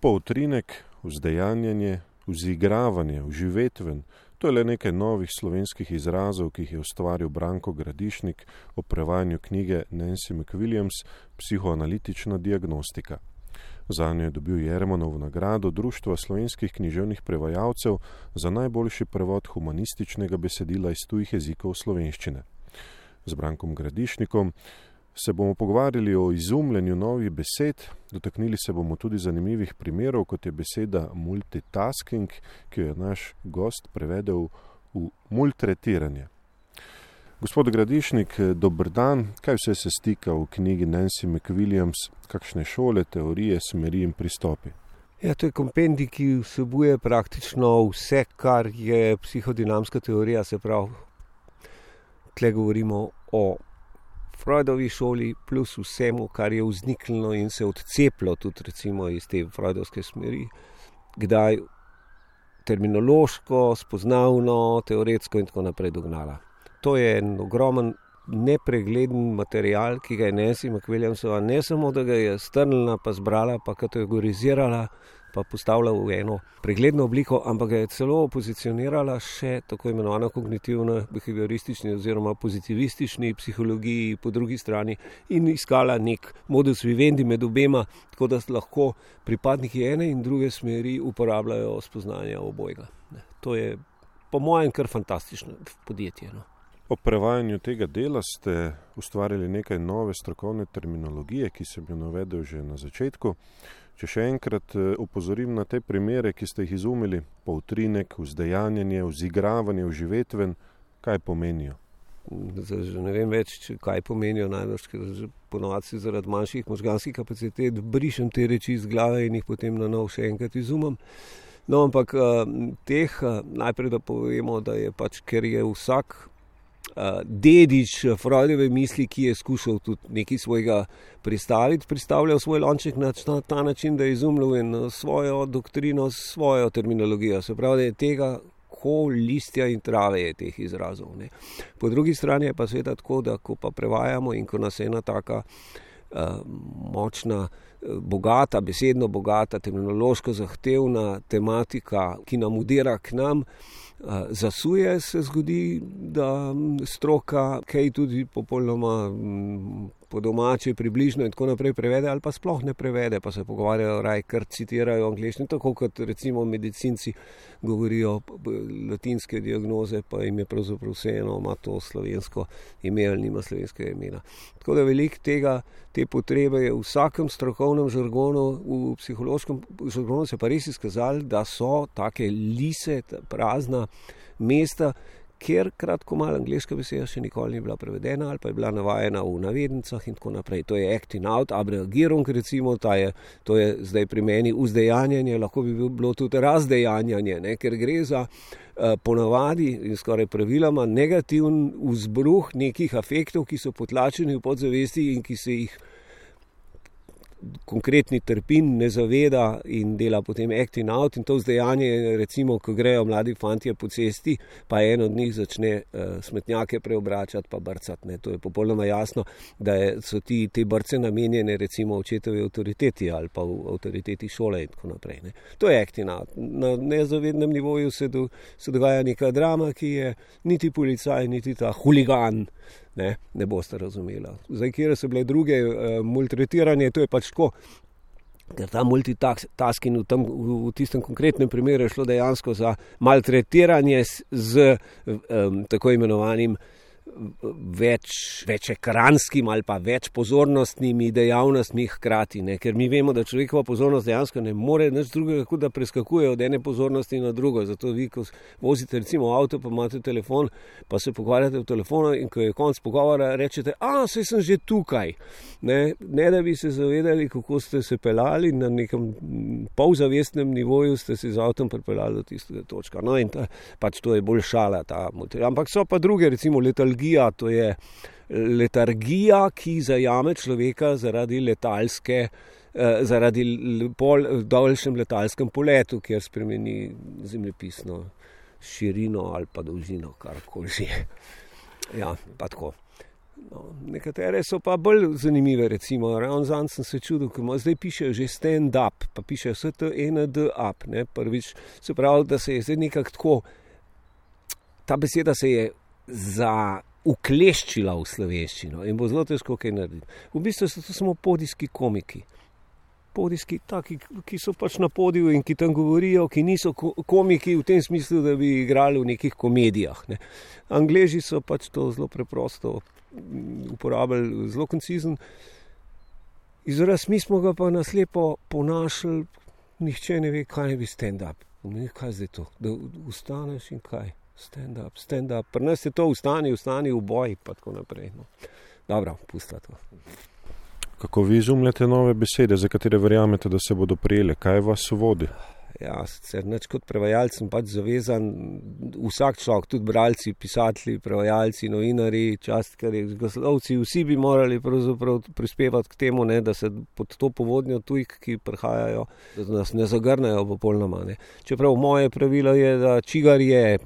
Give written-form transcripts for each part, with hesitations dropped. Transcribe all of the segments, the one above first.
Poutrinek, vzdejanjanje, vzigravanje, vživetven, to je le nekaj novih slovenskih izrazov, ki jih je ustvaril Branko Gradišnik o prevajanju knjige Nancy McWilliams Psihoanalitična diagnostika. Zanjo je dobil Jermanovo nagrado Društva slovenskih književnih prevajalcev za najboljši prevod humanističnega besedila iz tujih jezikov slovenščine. Z Brankom Gradišnikom se bomo pogovarjali o izumljanju novih besed, dotaknili se bomo tudi zanimivih primerov, kot je beseda multitasking, ki jo je naš gost prevedel v multretiranje. Gospod Gradišnik, dober dan. Kaj vse se stika v knjigi Nancy McWilliams, kakšne šole, teorije, smeri in pristopi? Ja, to je kompendij, ki vsebuje praktično vse, kar je psihodinamska teorija, se pravi, tle govorimo o Freudovi šoli plus vsemu, kar je vzniknilo in se odcepilo tudi recimo iz te freudovske smeri, kdaj terminološko, spoznavno, teoretsko in tako naprej dognala. To je en ogromen, nepregleden material, ki ga je Nancy McWilliamsova ne samo, da ga je strnila, pa zbrala, pa kategorizirala, pa postavila v eno pregledno obliko, ampak ga je celo pozicionirala še tako imenovano kognitivno behavioristični oziroma pozitivistični psihologiji po drugi strani in iskala nek modus vivendi med obema, tako da lahko pripadniki ene in druge smeri uporabljajo spoznanja obojega. To je po mojem kar fantastično podjetje. O prevajanju tega dela ste ustvarili nekaj nove strokovne terminologije, ki sem jo navedel že na začetku. Če še enkrat opozorim na te primere, ki ste jih izumili, poutrinek, vzdejanjanje, vzigravanje, vživetven, kaj pomenijo? Ne vem več, kaj pomenijo najbolj, ker ponovadi zaradi manjših možganskih kapacitet brišem te reči iz glave in jih potem na novo še enkrat izumem. No, ampak najprej da povemo, da je pač, ker je vsak dedič Freudove misli, ki je skušal tudi nekaj svojega pristavljal svoj lonček na ta način, da je izumljal eno svojo doktrino, svojo terminologijo. Se pravi, da je tega ko listja in trave je teh izrazov. Ne. Po drugi strani je pa seveda tako, da ko pa prevajamo in ko nas je ena taka močna, bogata, besedno bogata, terminološko zahtevna tematika, ki nam udira k nam, zasuje, se zgodi, da stroka kaj tudi popolnoma po domače, približno in tako naprej prevede ali pa sploh ne prevede, pa se pogovarjajo raje, kar citirajo angleščino, tako kot recimo medicinci govorijo latinske diagnoze, pa jim je pravzaprav vseeno, ima to slovensko ime ali nima slovenskega imena. Tako da veliko te potrebe je v vsakem strokovnem žargonu, v psihološkem žargonu se pa res izkazali, da so take lise, prazna mesta, kjer kratko malo angleška beseda še nikoli ni bila prevedena ali pa je bila navajena v navednicah in tako naprej. To je acting out, abreagirung recimo, to je zdaj pri meni vzdejanjanje, lahko bi bilo tudi razdejanjanje, ne? Ker gre za ponavadi in skoraj praviloma negativen vzbruh nekih afektov, ki so potlačeni v podzavesti in ki se jih konkretni trpin ne zaveda in dela potem acting out in to vzdejanje, recimo, ko grejo mladi fantje po cesti, pa en od njih začne smetnjake preobračati pa brcati. Ne. To je popolnoma jasno, da so te brce namenjene recimo očetovi avtoriteti ali pa v avtoriteti šole in tako naprej. Ne. To je acting out. Na nezavednem nivoju se dogaja neka drama, ki je niti policaj, niti ta huligan ne boste razumela. Zdaj, kjer so bile druge multretiranje, to je pač tako, ker ta multitasking v tistem konkretnem primeru je šlo dejansko za maltretiranje z tako imenovanim večekranskim ali pa več pozornostnimi dejavnostmi hkrati, ne? Ker mi vemo, da človekova pozornost dejansko ne more nič drugega, kot da preskakuje od ene pozornosti na drugo. Zato vi, ko vozite recimo avto, pa imate telefon, pa se pogovarjate v telefonu in ko je konc pogovora, rečete, saj sem že tukaj. Ne da bi se zavedali, kako ste se pelali, na nekem polzavestnem nivoju ste se z avtom pripeljali do tistega točka. No in pač to je bolj šala ta multitasking. Ampak so pa druge, recimo letalgija, to je letargija, ki zajame človeka zaradi daljšem letalskem poletu, kjer spremeni zemljepisno širino ali pa dolžino, karkoli že. Ja, pa tako. No, nekatere so pa bolj zanimive, recimo, ravno zanj sem se čudil, ko zdaj pišejo že stand up, pa pišejo STND up, ne, prvič, se pravi, da se je zdaj nekako tako, ta beseda se je ukleščila v slovenščino in bo zelo težko kaj narediti. V bistvu so to samo podijski komiki. Podijski, taki, ki so pač na podiju in ki tam govorijo, ki niso komiki v tem smislu, da bi igrali v nekih komedijah. Ne. Angleži so pač to zelo preprosto uporabljali, zelo koncizen izraz, mi smo ga pa naslepo ponašali, nihče ne ve, kaj ne bi stand-up. Kaj zdaj to? Da ustaneš in kaj? Stand-up. Pri nas je to vstani v boj, pa tako naprej. No. Dobro, pusta to. Kako vi izumljate nove besede, za katere verjamete, da se bodo prijele? Kaj vas vodi? Ja, sicer nič kot prevajalc sem pač zavezan, vsak človek, tudi bralci, pisatelji, prevajalci, novinari, častkarji, glaslovci, vsi bi morali pravzaprav prispevati k temu, ne, da se pod to povodnjo tujk, ki prihajajo, da nas ne zagrnejo popolnoma. Ne. Čeprav moje pravilo je, da čigar je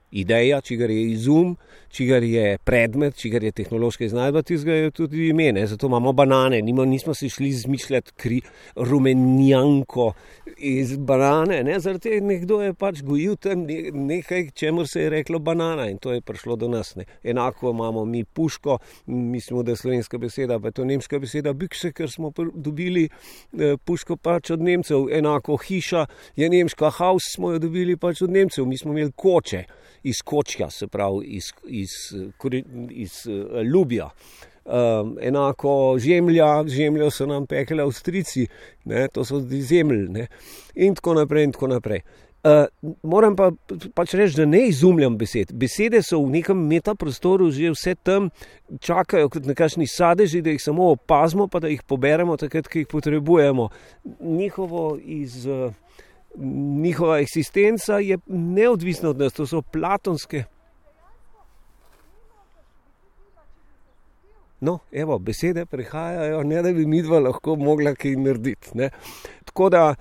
ideja, čigar je izum, čigar je predmet, čigar je tehnološka iznajdba, tistega je tudi ime, ne. Zato imamo banane, nismo se šli izmišljati rumenjanko iz banane, ne, zaradi nekdo je pač gojil tam nekaj, čemur se je reklo banana in to je prišlo do nas, ne. Enako imamo mi puško, mislimo, da je slovenska beseda, pa je to nemška beseda bikse, ker smo dobili puško pač od Nemcev, enako hiša je nemška, haus smo jo dobili pač od Nemcev, mi smo imeli koče iz kočja, se pravi iz ljubja. Enako žemljo so nam pekli Avstrijci, ne, to so zemlj, ne, in tako naprej. Moram pa pač reči, da ne izumljam besed. Besede so v nekem metaprostoru že vse tam, čakajo kot nekakšni sadeži, da jih samo opazimo, pa da jih poberemo takrat, ki jih potrebujemo. Njihova eksistenca je neodvisna od nas, to so platonske. No, evo, besede prihajajo, ne da bi midva lahko mogla kaj narediti. Ne. Tako da,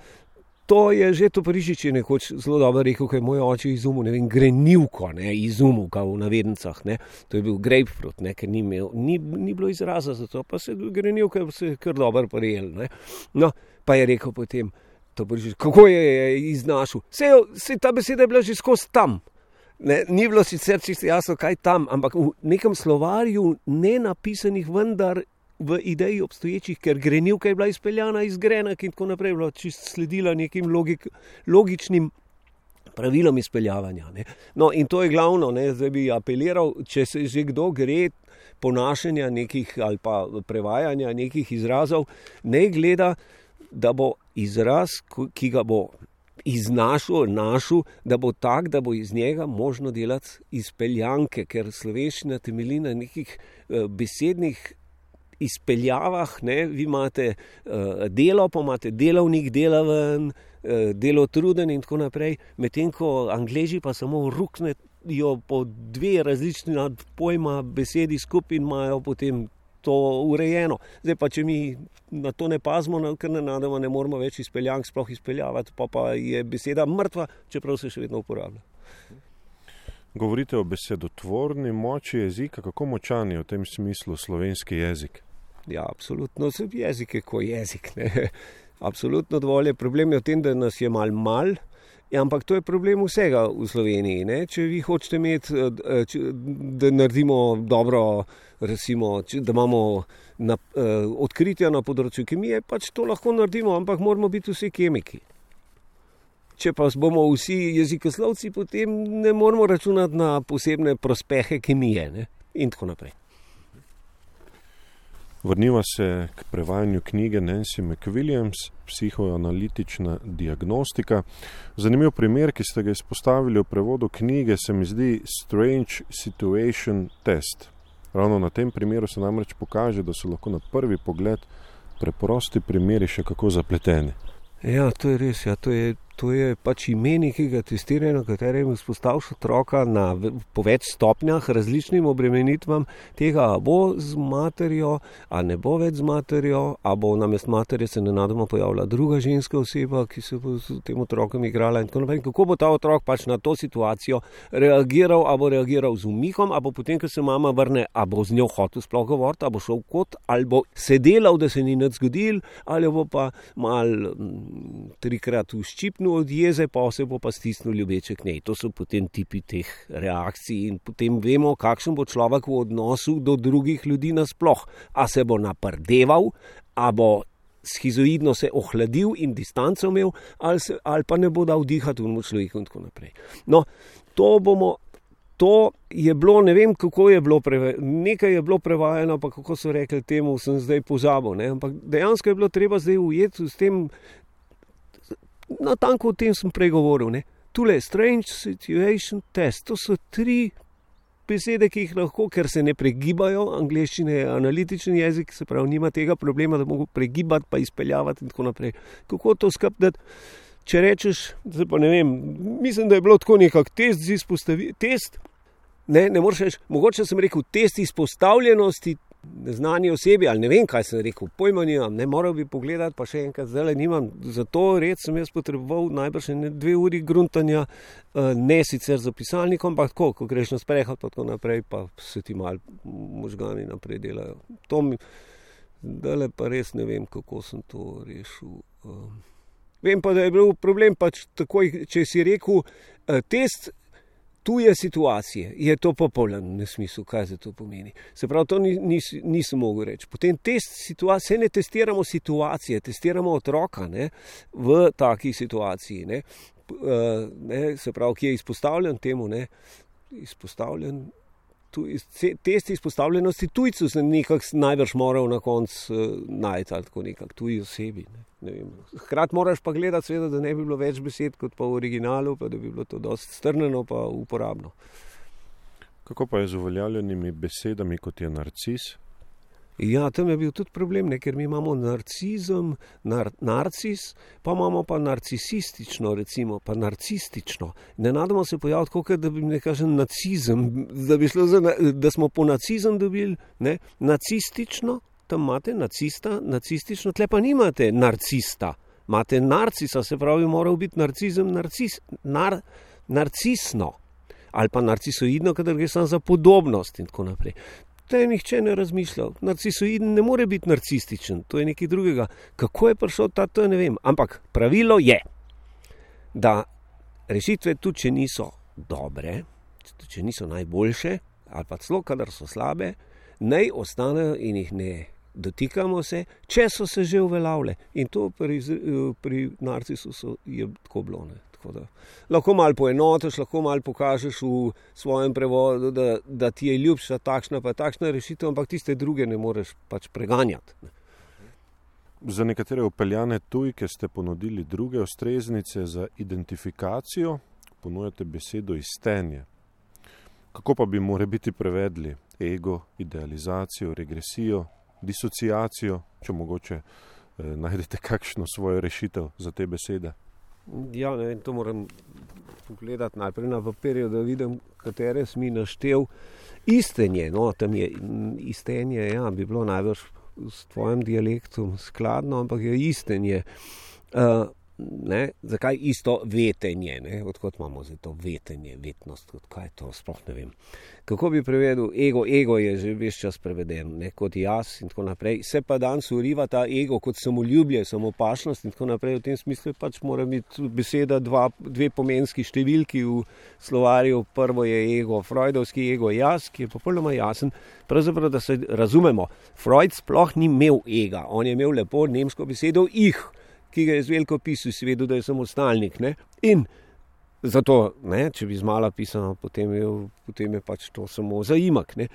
to je že Toporišič je nekoč zelo dobro rekel, ko je moj oče izumil, ne vem, grenivko, ne, izumil ga v navednicah, ne. To je bil grapefruit, ne, ker ni bilo izraza za to, pa se grenivka se kar dobro prijel, ne. No, pa je rekel potem, Toporišič, kako je iznašel? Sej ta beseda je bila že skozi tam. Ne, ni bilo sicer čisto jasno, kaj tam, ampak v nekem slovarju nenapisanih, vendar v ideji obstoječih, ker grenivka je bila izpeljana iz grenak in tako naprej, bila čisto sledila nekim logičnim pravilom izpeljavanja. Ne. No, in to je glavno, ne, zdaj bi apeliral, če se že kdo gre ponašanja nekih ali pa prevajanja nekih izrazov, ne gleda, da bo izraz, ki ga bo našel, da bo tak, da bo iz njega možno delati izpeljanke, ker slovenščina temelji na nekih besednih izpeljavah, ne, vi imate delo, pa imate delovnik, delaven, delotruden in tako naprej, medtem ko Angleži pa samo ruknejo po dve različni pojma besedi skupaj in imajo potem to urejeno. Zdaj pa, če mi na to ne pazimo, ker nenadoma ne moramo več izpeljank sploh izpeljavati, pa je beseda mrtva, čeprav se še vedno uporablja. Govorite o besedotvorni moči jezika, kako močan je v tem smislu slovenski jezik? Ja, absolutno, jezik je ko jezik, ne. Absolutno dovolj je. Problem je v tem, da nas je mal, ja, ampak to je problem vsega v Sloveniji, ne. Če vi hočete imeti, da naredimo dobro, recimo, da imamo odkritja na področju kemije, pač to lahko naredimo, ampak moramo biti vsi kemiki. Če pa bomo vsi jezikoslovci, potem ne moramo računati na posebne prospehe kemije, ne, in tako naprej. Vrniva se k prevajanju knjige Nancy McWilliams, Psihoanalitična diagnostika. Zanimiv primer, ki ste ga izpostavili v prevodu knjige, se mi zdi Strange Situation Test. Ravno na tem primeru se namreč pokaže, da so lahko na prvi pogled preprosti primeri še kako zapleteni. Ja, to je res. Ja. To To je pač ime nekega testiranja, na katerem izpostaviš otroka po več stopnjah, različnim obremenitvam tega, a bo z materjo, a ne bo več z materjo, a bo namest materje se nenadoma pojavila druga ženska oseba, ki se bo s tem otrokom igrala in tako naprej. Kako bo ta otrok pač na to situacijo reagiral, a bo reagiral z umihom, a bo potem, ko se mama vrne, a bo z njo hotel sploh govoriti, a bo šel v kot, ali bo se delal, da se ni nič zgodil, ali bo pa mal 3-krat uščipnil od jeze, pa se bo pa stisnil ljubeče k njej. To so potem tipi teh reakcij in potem vemo, kakšen bo človek v odnosu do drugih ljudi nasploh. A se bo naprdeval, a bo schizoidno se ohladil in distanco imel, ali pa ne bo dal dihati v človeku in tako naprej. No, to je bilo, ne vem, kako je bilo nekaj je bilo prevajano, pa kako so rekli temu, sem zdaj pozabil, ne? Ampak dejansko je bilo treba zdaj ujeti s tem. Natanko o tem sem prej govoril. Ne? Tule, strange situation test, to so 3 besede, ki jih lahko, ker se ne pregibajo, angleščina je analitičen jezik, se pravi, nima tega problema, da mogo pregibati, pa izpeljavati in tako naprej. Kako to skapdati? Če rečeš, zdaj pa ne vem, mislim, da je bilo tako nekak test, ne moreš reči, mogoče sem rekel test izpostavljenosti neznani osebi, ali ne vem, kaj sem rekel, pojma nimam, ne moral bi pogledati, pa še enkrat zdaj nimam, zato red sem jaz potreboval najbrž 2 uri gruntanja, ne sicer za pisalnikom, ampak tako, ko greš na sprehod, pa tako naprej, pa se ti malo možgani naprej delajo. Dale pa res ne vem, kako sem to rešil. Vem pa, da je bil problem pač takoj, če si rekel test tuje situacije, je to popoln nesmisel, kaj za to pomeni. Se pravi, to nisem mogel reči. Potem test situacije, ne testiramo situacije, testiramo otroka, ne, v taki situaciji, ne, se pravi, ki je izpostavljen temu, ne, test izpostavljenosti tujcu se nekako najbrž moral na koncu najti, ali tako nekako tuji osebi, ne vem. Hkrati moraš pa gledati, seveda, da ne bi bilo več besed kot pa v originalu, pa da bi bilo to dosti strnjeno pa uporabno. Kako pa je z uveljavljenimi besedami, kot je narcis? Ja, tam je bil tudi problem, ne, ker mi imamo narcizem, narcis, pa imamo pa narcisistično, recimo, pa narcistično. Nenadoma se pojavi tako, da bi ne kažem nacizem, da smo po nacizem dobili, ne, nacistično, tam imate nacista, nacistično, tle pa nimate narcista, imate narcisa, se pravi, moral biti narcizem, narcisno, ali pa narcisoidno, kadar gre samo za podobnost in tako naprej. To je nihče ne razmišljal. Narcisoiden ne more biti narcističen, to je nekaj drugega. Kako je prišel to ne vem. Ampak pravilo je, da rešitve tudi, če niso dobre, če niso najboljše, ali pa celo, kadar so slabe, naj ostanejo in jih ne dotikamo se, če so se že uveljavile. In to pri narcisu je tako bilo, ne. Lahko malo poenotiš, lahko malo pokažeš v svojem prevodu, da ti je ljubša takšna pa takšna rešitev, ampak tiste druge ne moreš pač preganjati. Za nekatere upeljane tujke ste ponudili druge ustreznice za identifikacijo, ponujate besedo istenje. Kako pa bi morebiti prevedli ego, idealizacijo, regresijo, disociacijo, če mogoče najdete kakšno svojo rešitev za te besede? Ja, ne vem, to moram pogledati najprej na papirju, da vidim, katere si mi naštel. Istenje, no, tam je istenje, ja, bi bilo najbrž s tvojim dialektom skladno, ampak je istenje. Ne, zakaj isto vetenje, ne, odkot imamo zdaj to vetenje, vetnost, kaj je to, sploh ne vem. Kako bi prevedel ego je že ves čas preveden, ne, kot jaz in tako naprej, se pa danes uriva ta ego kot samoljubje, samopašnost in tako naprej, v tem smislu pač mora biti beseda 2 pomenski številki v slovarju, prvo je ego, freudovski ego jaz, ki je popolnoma jasen, pravzaprav, da se razumemo, Freud sploh ni imel ega, on je imel lepo nemško besedo ki ga je z veliko pisal, si vedel, da je samostalnik, ne? In zato, ne, če bi z mala pisano, potem je pač to samo zaimak, ne?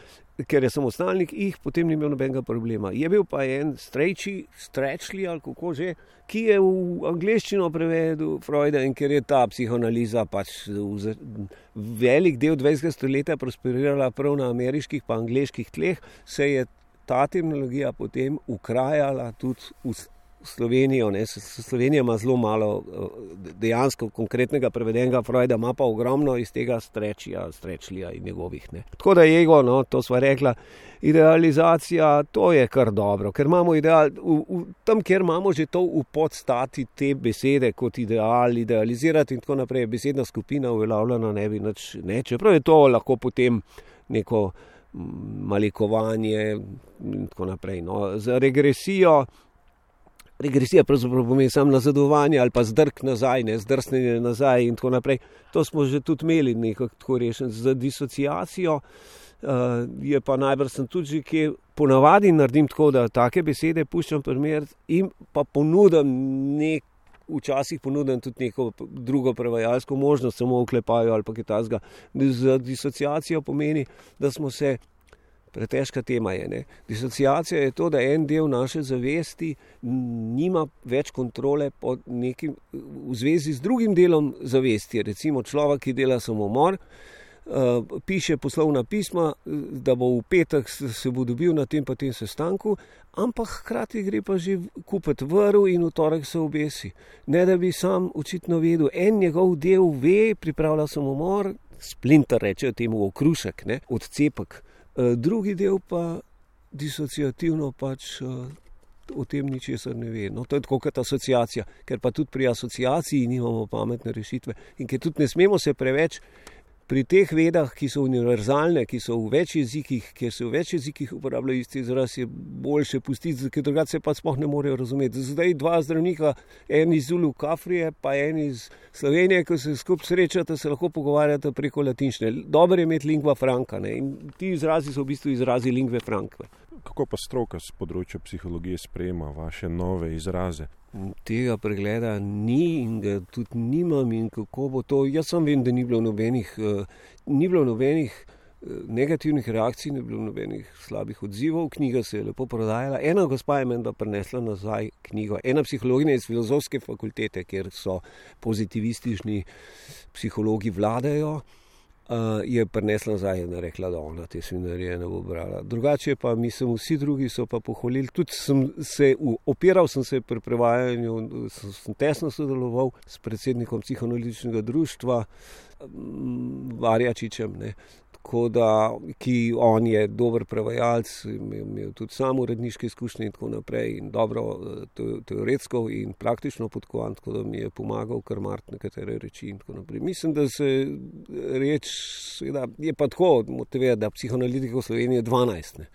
Ker je samostalnik, potem ni imel nobenega problema. Je bil pa en Strachli, ali kako že, ki je v angleščino prevedel Freuda in ker je ta psihoanaliza pač velik del 20. stoletja prosperirala prav na ameriških pa angleških tleh, se je ta terminologija potem ukrajala tudi Slovenijo. Slovenija ima zelo malo dejansko konkretnega prevedenega Freuda, ima pa ogromno iz tega Strečlija in njegovih. Ne. Tako da ego, to sva rekla, idealizacija, to je kar dobro, ker imamo ideal, tam, kjer imamo že to v podstati te besede kot ideal, idealizirati in tako naprej, besedna skupina uveljavljena ne bi nič, ne, čeprav je to lahko potem neko malikovanje in tako naprej. Za regresija pravzaprav pomeni samo nazadovanje ali pa zdrk nazaj, zdrsnenje nazaj in tako naprej. To smo že tudi imeli nekako tako rešen. Za disociacijo je pa najbrž sem tudi že, ki ponavadi naredim tako, da take besede puščam primer in pa včasih ponudim tudi neko drugo prevajalsko možnost, samo oklepajo ali pa kaj takega. Za disociacijo pomeni, da smo se, pretežka tema je, ne. Disociacija je to, da en del naše zavesti nima več kontrole pod nekim, v zvezi z drugim delom zavesti. Recimo človek, ki dela samomor, piše poslovna pisma, da bo v petek se bo dobil na tem pa tem sestanku, ampak hkrati gre pa že kupiti vrv in v torek se obesi. Ne da bi sam očitno vedel, en njegov del ve, pripravlja samomor, splinter rečejo temu, okrušek, ne, odcepek. Drugi del pa disociativno pač o tem ničesar ne ve. To je tako kot asociacija, ker pa tudi pri asociaciji nimamo pametne rešitve in ker tudi ne smemo se preveč pri teh vedah, ki so univerzalne, ki so v več jezikih, kjer se v več jezikih uporabljajo isti izraz, je boljše pustiti, ker drugače se pa sploh ne morejo razumeti. Zdaj dva zdravnika, en iz Zulu Kafrije, pa en iz Slovenije, ko se skupaj srečate, se lahko pogovarjate preko latinščine. Dobro je imeti lingua franca, ne? In ti izrazi so v bistvu izrazi lingve franca. Kako pa stroka z področja psihologije sprejema vaše nove izraze? Tega pregleda ni in ga tudi nimam in kako bo to. Jaz sam vem, da ni bilo nobenih negativnih reakcij, ni bilo nobenih slabih odzivov. Knjiga se je lepo prodajala. Ena gospa je menda prinesla nazaj knjigo. Ena psihologinja iz filozofske fakultete, kjer so pozitivistični psihologi vladajo, je prinesla nazaj in rekla, da ona te svinarije ne bo brala. Drugače pa mislim, vsi drugi so pa pohvalili. Tudi opiral sem se pri prevajanju, sem tesno sodeloval s predsednikom psihoanalitičnega društva Varjačičem, ne. Tako da, ki on je dober prevajalec, imel tudi sam uredniške izkušnje in tako naprej in dobro teoretsko in praktično podkovan, tako da mi je pomagal kar marti nekatere reči in tako naprej. Mislim, da se reč, seveda, je pa tako motivirati, da psihoanalitikov v Sloveniji je 12, ne.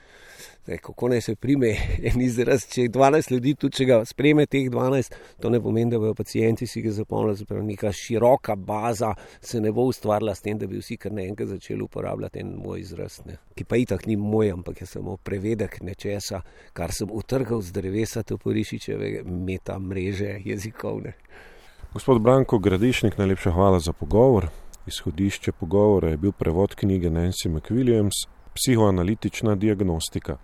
Zdaj, kako naj se prime en izraz, če je 12 ljudi, tudi če ga spreme teh 12, to ne pomeni, da bojo pacienti si ga zapomnili, zapravo neka široka baza se ne bo ustvarila s tem, da bi vsi kar naenkrat začeli uporabljati en moj izraz, ne. Ki pa itak ni moj, ampak je samo prevedek nečesa, kar sem utrgal z drevesa Toporišičeve meta mreže jezikovne. Gospod Branko Gradišnik, najlepša hvala za pogovor. Izhodišče pogovora je bil prevod knjige Nancy McWilliams, Psihoanalitična diagnostika.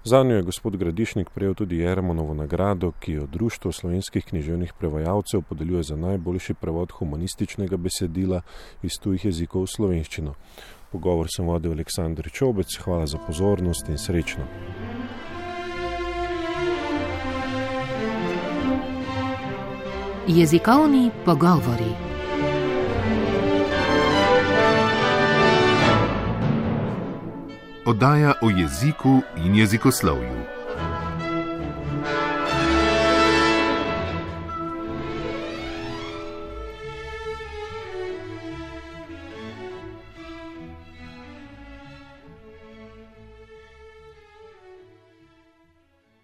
Zanjo je gospod Gradišnik prejel tudi Jermonovo nagrado, ki jo Društvo slovenskih književnih prevajalcev podeljuje za najboljši prevod humanističnega besedila iz tujih jezikov v slovenščino. Pogovor sem vodil Aleksander Čobec, hvala za pozornost in srečno. Jezikovni pogovori. Oddaja o jeziku in jezikoslovju.